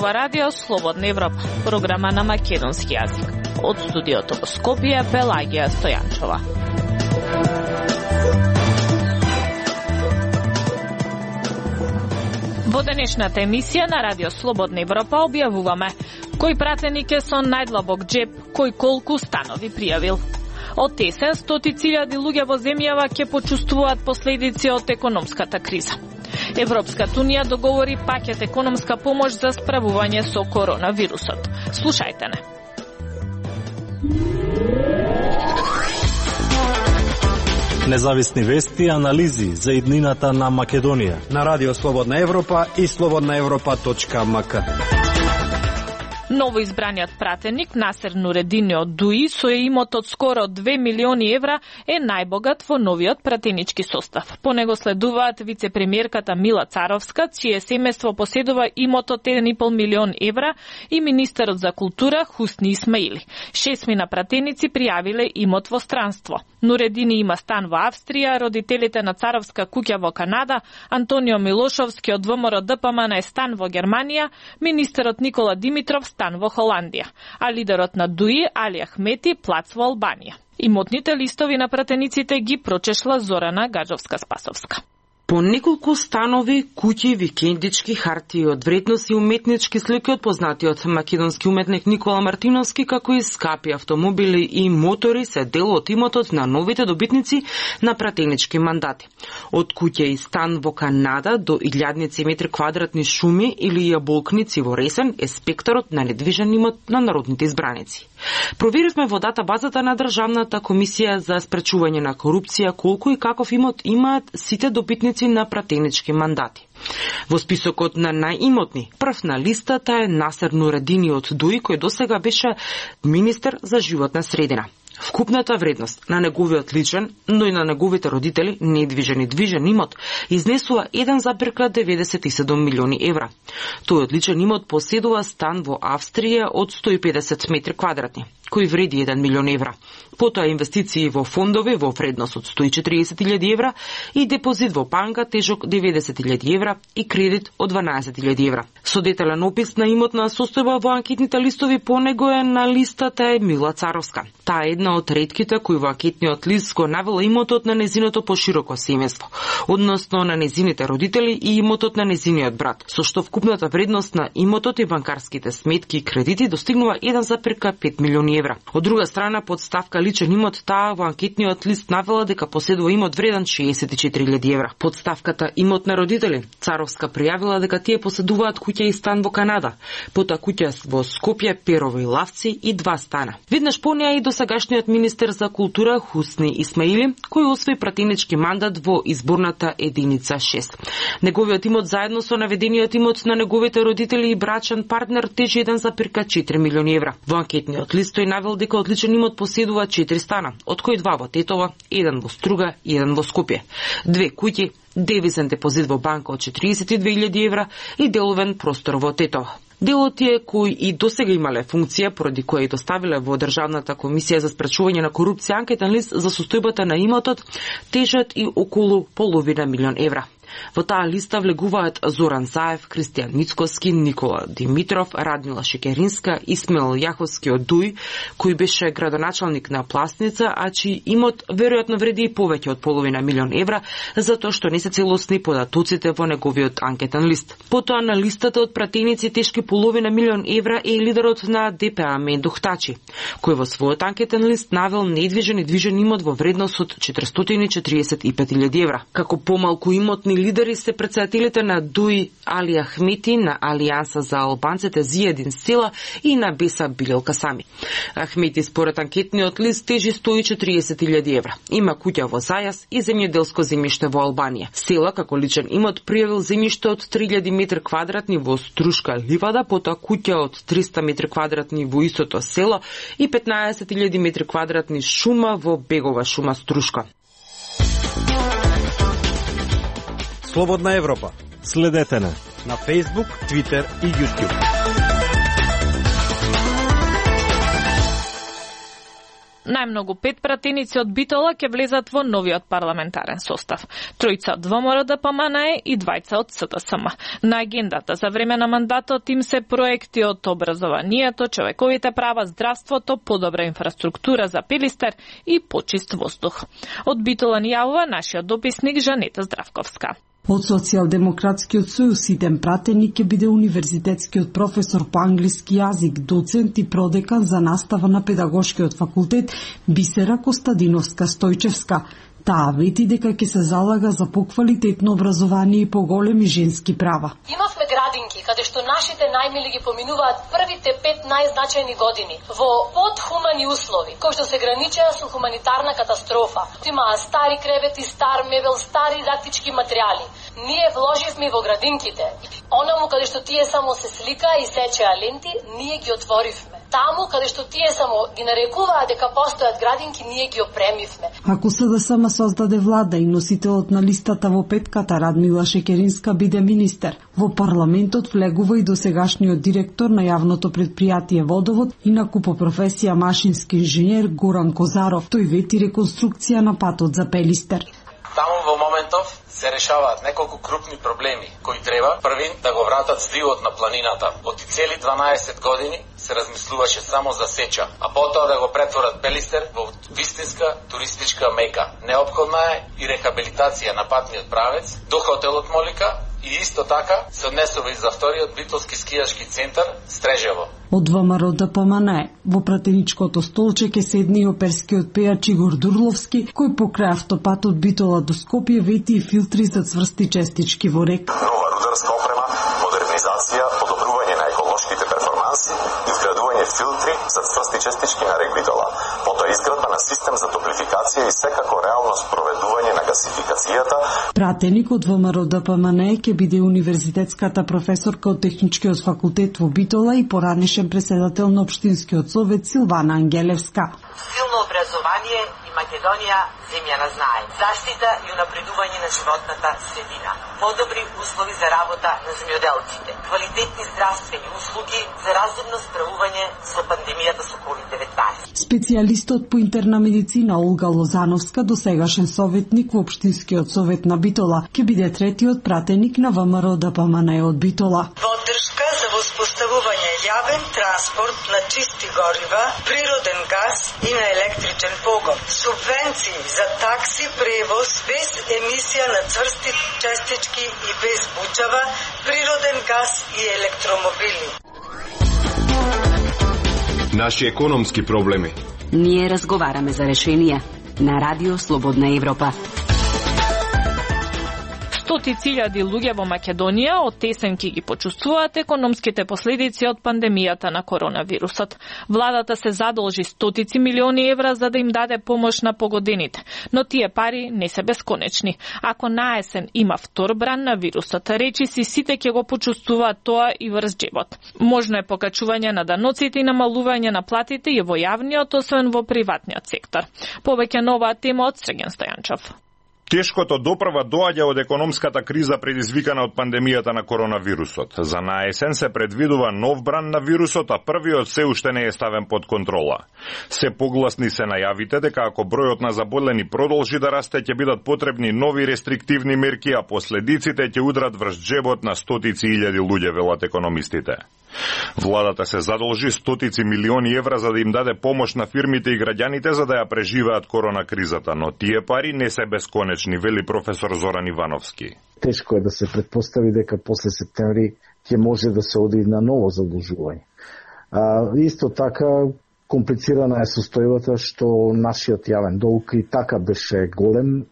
ова радио Слободна Европа, програма на македонски јазик. Од студиото во Скопје, Пелагија Стојанчова. Во денешната емисија на радио Слободна Европа објавуваме кој пратеник е со најдлабок джеб, кој колку станови пријавил. Од есен, стотици илјади луѓе во земјава ќе почувствуваат последици од економската криза. Европската унија договори пакет економска помош за справување со коронавирусот. Слушајте не. Независни вести и анализи за иднината на Македонија на радио Слободна Европа и slobodnaevropa.mk. Новоизбраниот пратеник Насер Нуредини од ДУИ со имот од скоро 2 милиони евра е најбогат во новиот пратенички состав. По него следуваат вице-премиерката Мила Царовска, чие семејство поседува имот од 1,5 милион евра, и министерот за култура Хусни Исмаили. 6 пратеници пријавиле имот во странство. Нуредини има стан во Австрија, родителите на Царовска куќа во Канада, Антонио Милошовски од ВМРО ДПМН е стан во Германија, министерот Никола Димитров стан во Холандија, а лидерот на ДУИ Али Ахмети плац во Албанија. Имотните листови на пратениците ги прочешла Зорана Гаджовска-Спасовска. По неколку станови, куќи, викендички, хартии од вредност и уметнички слики од познатиот македонски уметник Никола Мартиновски, како и скапи автомобили и мотори се дел од имотот на новите добитници на пратенички мандати. Од куќа и стан во Канада до илјадници метри квадратни шуми или јаболкници во Ресен е спектарот на недвижен имот на народните избраници. Проверивме во датабазата на Државната комисија за спречување на корупција колку и каков имот имаат сите добитници на пратенички мандати. Во списокот на најимотни, прв на листата е Насер Нуредини од ДУИ, кој досега беше министер за животна средина. Вкупната вредност на неговиот личен, но и на неговите родители, недвижен и движен имот, изнесува 1,97 милиони евра. Тој личен имот поседува стан во Австрија од 150 метри квадратни, кој вреди 1 милион евра. Потоа инвестиции во фондови во вредност од 140.000 евра и депозит во банка тежок 90.000 евра и кредит од 12.000 евра. Со детален опис на имотна состојба во анкетните листови по него е на листата е Мила Царовска. Таа е една од ретките кои во анкетниот лист го навела имотот на незиното пошироко семејство, односно на незините родители и имотот на незиниот брат, со што вкупната вредност на имотот и банкарските сметки и кредити достигнува 1,5 милиони евра. Од друга страна, под ставка личен имот, таа во анкетниот лист навела дека поседува имот вреден 64.000 евра. Под ставката имот на родители, Царовска пријавила дека тие поседуваат куќа и стан во Канада, потоа куќа во Скопје, Перово и Лавци и 2 стана. Виднаш по неа и досегашниот министер за култура Хусни Исмаили, кој освои пратенички мандат во изборната единица 6. Неговиот имот заедно со наведениот имот на неговите родители и брачен партнер тежи 1,4 милиони евра. Во анкетниот лист тој навел дека одличен имот поседува 4 стана, од кои 2 во Тетово, 1 во Струга и 1 во Скопје, 2 куќи, девизен депозит во банка од 42.000 евра и деловен простор во Тетово. Делот тие кои и досега имале функција, поради која и доставиле во Државната комисија за спречување на корупција анкетен лист за состојбата на имотот, тежат и околу половина милион евра. Во таа листа влегуваат Зоран Заев, Кристијан Мицкоски, Никола Димитров, Радмила Шекеринска, Исмаил Јаховски од ДУИ, кој беше градоначалник на Пласница, а чиј имот веројатно вреди и повеќе од половина милион евра, затоа што не се целосни податоците во неговиот анкетен лист. Потоа на листата од пратеници тешки половина милион евра е лидерот на ДПА Мендух Тачи, кој во својот анкетен лист навел недвижен и движен имот во вредност од 445.000 евра. Како помалку имотни лидери се претседателите на ДУИ Али Ахмети, на Алијанса за албанците Зиједин Села и на Беса Билелка Сами. Ахмети според анкетниот лист тежи 140.000 евра. Има куќа во Зајас и земјоделско земјиште во Албанија. Села како личен имот пријавил земјиште од 3.000 метри квадратни во Струшка Ливада, потоа куќа од 300 метри квадратни во истото село и 15.000 метри квадратни шума во Бегова шума Струшка. Слободна Европа. Следете на Facebook, Twitter и YouTube. Најмногу 5 пратеници од Битола ќе влезат во новиот парламентарен состав. 3 од ВМРО ДПМНЕ и 2 од СДСМ. На агендата за време на мандатот им се проекти од образованието, човековите права, здравството, подобра инфраструктура за Пелистер и почист воздух. Од Битола ни јавува нашиот дописник Жанета Здравковска. Од Социјалдемократскиот сојуз иден пратеник ќе биде универзитетскиот професор по англиски јазик, доцент и продекан за настава на педагошкиот факултет Бисера Костадиновска Стојчевска. Таа вети дека ќе се залага за поквалитетно образование и поголеми женски права. Имавме градинки каде што нашите најмили ги поминуваат првите 5 најзначајни години во подхумани услови, кои што се граничеа со хуманитарна катастрофа. Имаа стари кревети, стар мебел, стари дидактички материјали. Ние вложивме во градинките. Онаму каде што тие само се слика и сечеа ленти, ние ги отворивме. Таму каде што тие само ги нарекуваа дека постојат градинки, ние ги опремивме. Ако СДСМ создаде влада и носителот на листата во петката Радмила Шекеринска биде министер, во парламентот влегува и досегашниот директор на јавното предпријатие Водовод и на купопрофесија машински инженер Горан Козаров. Тој вети реконструкција на патот за Пелистер. Таму во моментов се решаваат неколку крупни проблеми кои треба првин да го вратат здивот на планината. Од цели 12 години се размислуваше само за сеча, а потоа да го претворат Пелистер во вистинска туристичка мека. Неопходна е и рехабилитација на патниот правец до хотелот Молика и исто така се однесува и за вториот битолски скијашки центар Стрежево. Од ВМРО ДПМНЕ во пратеничкото столче ќе седне и оперскиот пејач Игор Дурловски, кој покрај автопатот Битола до Скопје вети и филтри за цврсти честички во река. Нова рударска опрема, модернизација, подобрување на еколошките перформанси и вградување филтри за цврсти честички на рек Битола. Потоа изградба на систем за топлификација и секако реално спроведување на гасификацијата. Пратеник од ВМРО ДПМНЕ ќе биде универзитетската професорка од Техничкиот факултет во Битола и поранешен преседател на Општинскиот совет Силвана Ангелевска. Силно образование и Македонија земја на знае. Заштита и унапредување на животната средина. Подобри услови за работа на земјоделците. Квалитетни здравствени услуги за разумно справување со пандемијата со COVID-19. Специјалистот по интерна медицина Олга Лозановска, досегашен советник во Општинскиот совет на Битола, ќе биде третиот пратеник на ВМРО ДПМНЕ од Битола. Поддршка за воспоставување јавен транспорт на чисти горива, природен газ и на електричен погон. Субвенции за такси превоз без емисија на цврсти честички и без бучава, природен газ и електромобили. Наши економски проблеми. Ние разговараме за решенија на Радио Слободна Европа. Стотици илјади луѓе во Македонија од тесенки ги почувствуваат економските последици од пандемијата на коронавирусот. Владата се задолжи стотици милиони евра за да им даде помош на погодените, но тие пари не се бесконечни. Ако наесен има втор бран на вирусот, речиси сите ќе го почувствуваат тоа и врз џебот. Можно е покачување на даноците и намалување на платите и во јавниот, освен во приватниот сектор. Повеќе на оваа тема од Срген Стојанчов. Тешкото допрва доаѓа од економската криза предизвикана од пандемијата на коронавирусот. За наесен се предвидува нов бран на вирусот, а првиот се уште не е ставен под контрола. Се погласни се најавите дека ако бројот на заболени продолжи да расте, ќе бидат потребни нови рестриктивни мерки, а последиците ќе удрат врз џебот на стотици илјади луѓе, велат економистите. Владата се задолжи стотици милиони евра за да им даде помош на фирмите и граѓаните за да ја преживеат корона кризата, но тие пари не се бесконечни, вели професор Зоран Ивановски. Тешко е да се предпостави дека после септември ќе може да се оди на ново задолжување. Исто така комплицирана е состојбата што нашиот јавен долг и така беше голем,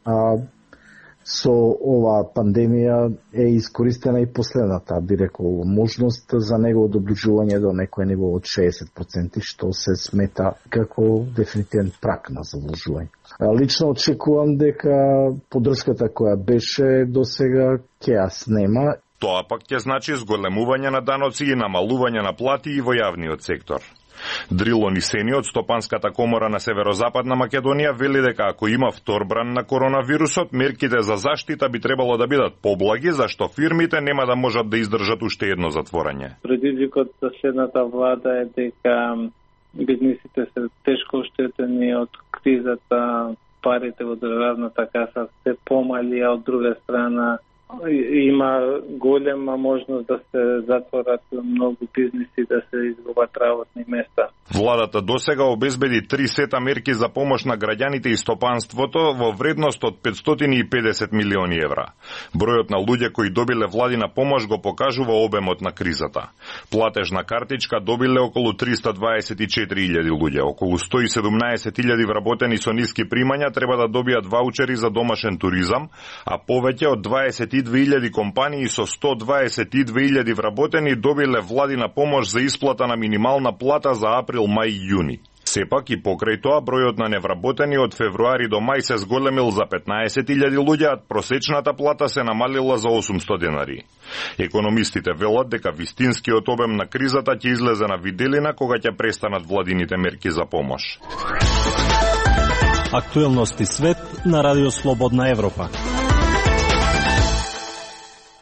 со ова пандемија е искористена и последната, би рекол, можност за негово доближување до некој ниво од 60%, што се смета како дефинитивен прак на задолжување. Лично очекувам дека поддршката која беше до сега ќе ја снема. Тоа пак ќе значи зголемување на даноци и намалување на плати и во јавниот сектор. Дрило Нисени од Стопанската комора на Северозападна Македонија вели дека ако има втор бран на коронавирусот, мерките за заштита би требало да бидат поблаги, зашто фирмите нема да можат да издржат уште едно затворање. Предизвикот за следната влада е дека бизнисите се тешко оштетени од кризата, парите во државната каса се помали, а од друга страна има голема можност да се затворат многу бизниси, да се изгубат работни места. Владата досега обезбеди 3 сета мерки за помош на граѓаните и стопанството во вредност од 550 милиони евра. Бројот на луѓе кои добиле владина помош го покажува обемот на кризата. Платежна картичка добиле околу 324.000 луѓе, околу 117.000 вработени со ниски примања треба да добијат ваучери за домашен туризам, а повеќе од 22.000 компании со 122.000 вработени добиле владина помош за исплата на минимална плата за април, мај и јуни. Сепак и покрај тоа бројот на невработени од февруари до мај се зголемил за 15.000 луѓе, а просечната плата се намалила за 800 денари. Економистите велат дека вистинскиот обем на кризата ќе излезе на виделина кога ќе престанат владините мерки за помош. Актуелности свет на Радио Слободна Европа.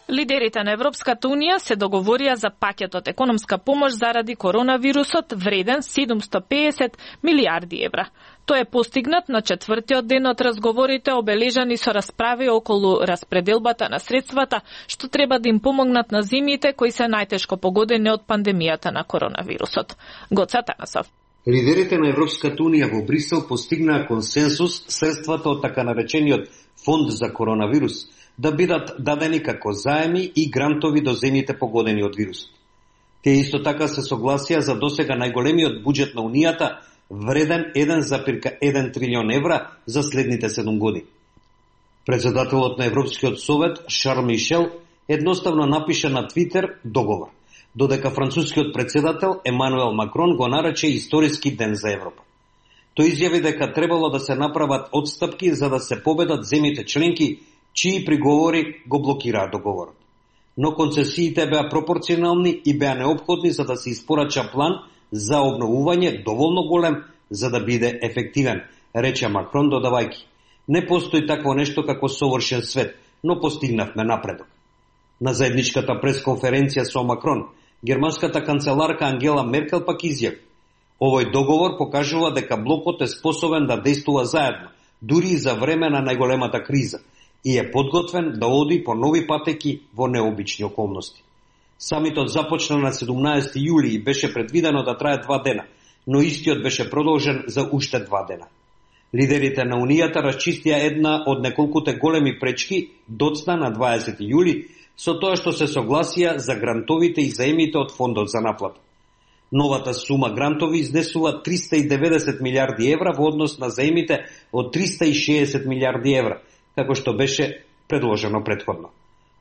Лидерите на Европската Унија се договорија за пакетот економска помош заради коронавирусот вреден 750 милиарди евра. Тој е постигнат на 4-тиот ден од разговорите обележани со расправи околу распределбата на средствата што треба да им помогнат на земјите кои се најтешко погодени од пандемијата на коронавирусот. Гоца Танасов. Лидерите на Европската Унија во Брисел постигнаа консенсус средствата од така наречениот фонд за коронавирус да бидат дадени како заеми и грантови до земјите погодени од вирусот. Тие исто така се согласија за досега најголемиот буџет на Унијата, вреден 1,1 трилион евра за следните 7 години. Председателот на Европскиот совет Шарл Мишел едноставно напиша на Твитер договор, додека францускиот председател Емануел Макрон го нарече историски ден за Европа. Тој изјави дека требало да се направат отстапки за да се победат земјите членки чии приговори го блокираа договорот. Но концесиите беа пропорционални и беа неопходни за да се испорача план за обновување доволно голем за да биде ефективен, рече Макрон додавајќи: не постои такво нешто како совршен свет, но постигнавме напредок. На заедничката пресконференција со Макрон, германската канцеларка Ангела Меркел пак изјави: овој договор покажува дека блокот е способен да действува заедно, дури и за време на најголемата криза, и е подготвен да оди по нови патеки во необични околности. Самитот започна на 17 јули и беше предвидено да трае 2 дена, но истиот беше продолжен за уште 2 дена. Лидерите на Унијата расчистија една од неколкуте големи пречки доцна на 20 јули со тоа што се согласија за грантовите и заемите од фондот за наплата. Новата сума грантови изнесува 390 милиарди евра во однос на заемите од 360 милиарди евра, како што беше предложено претходно.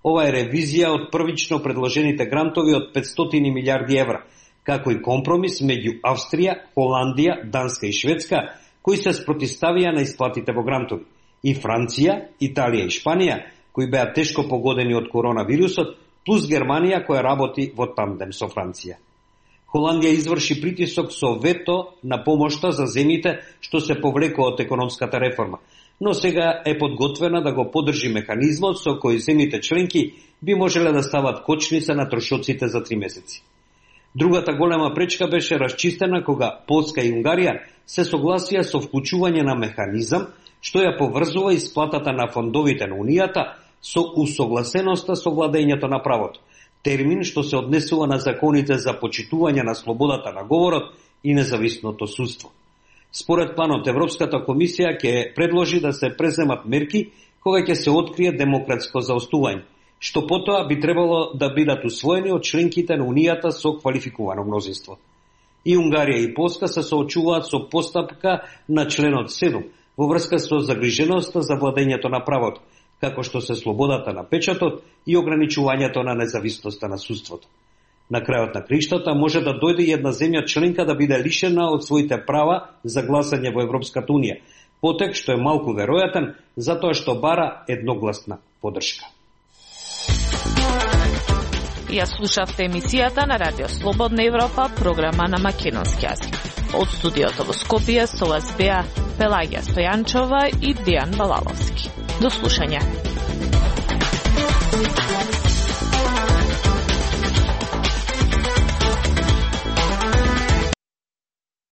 Ова е ревизија од првично предложените грантови од 500 милиарди евра, како и компромис меѓу Австрија, Холандија, Данска и Шведска, кои се спротивставија на исплатите во грантови, и Франција, Италија и Шпанија, кои беа тешко погодени од коронавирусот, плюс Германија која работи во тандем со Франција. Холандија изврши притисок со вето на помошта за земјите што се повлекува од економската реформа, но сега е подготвена да го поддржи механизмот со кој земјите членки би можеле да стават кочница на трошоците за 3 месеци. Другата голема пречка беше расчистена кога Полска и Унгарија се согласија со вклучување на механизам што ја поврзува исплатата на фондовите на Унијата со усогласеноста со владењето на правото, термин што се однесува на законите за почитување на слободата на говорот и независното судство. Според планот, Европската комисија ќе предложи да се преземат мерки кога ќе се открие демократско заостување, што потоа би требало да бидат усвоени од членките на Унијата со квалификувано мнозинство. И Унгарија и Полска се соочуваат со постапка на членот 7 во врска со загриженоста за владењето на правото, како што се слободата на печатот и ограничувањето на независноста на судството. На крајот на криштата може да дојде и една земја членка да биде лишена од своите права за гласање во Европската Унија, потек што е малку веројатен затоа што бара едногласна поддршка. Ја слушавте емисијата на Радио Слободна Европа, програма на македонски јазик. Од студиото во Скопје со вас беа Пелагија Стојанчова и Дејан Балаловски. До слушање.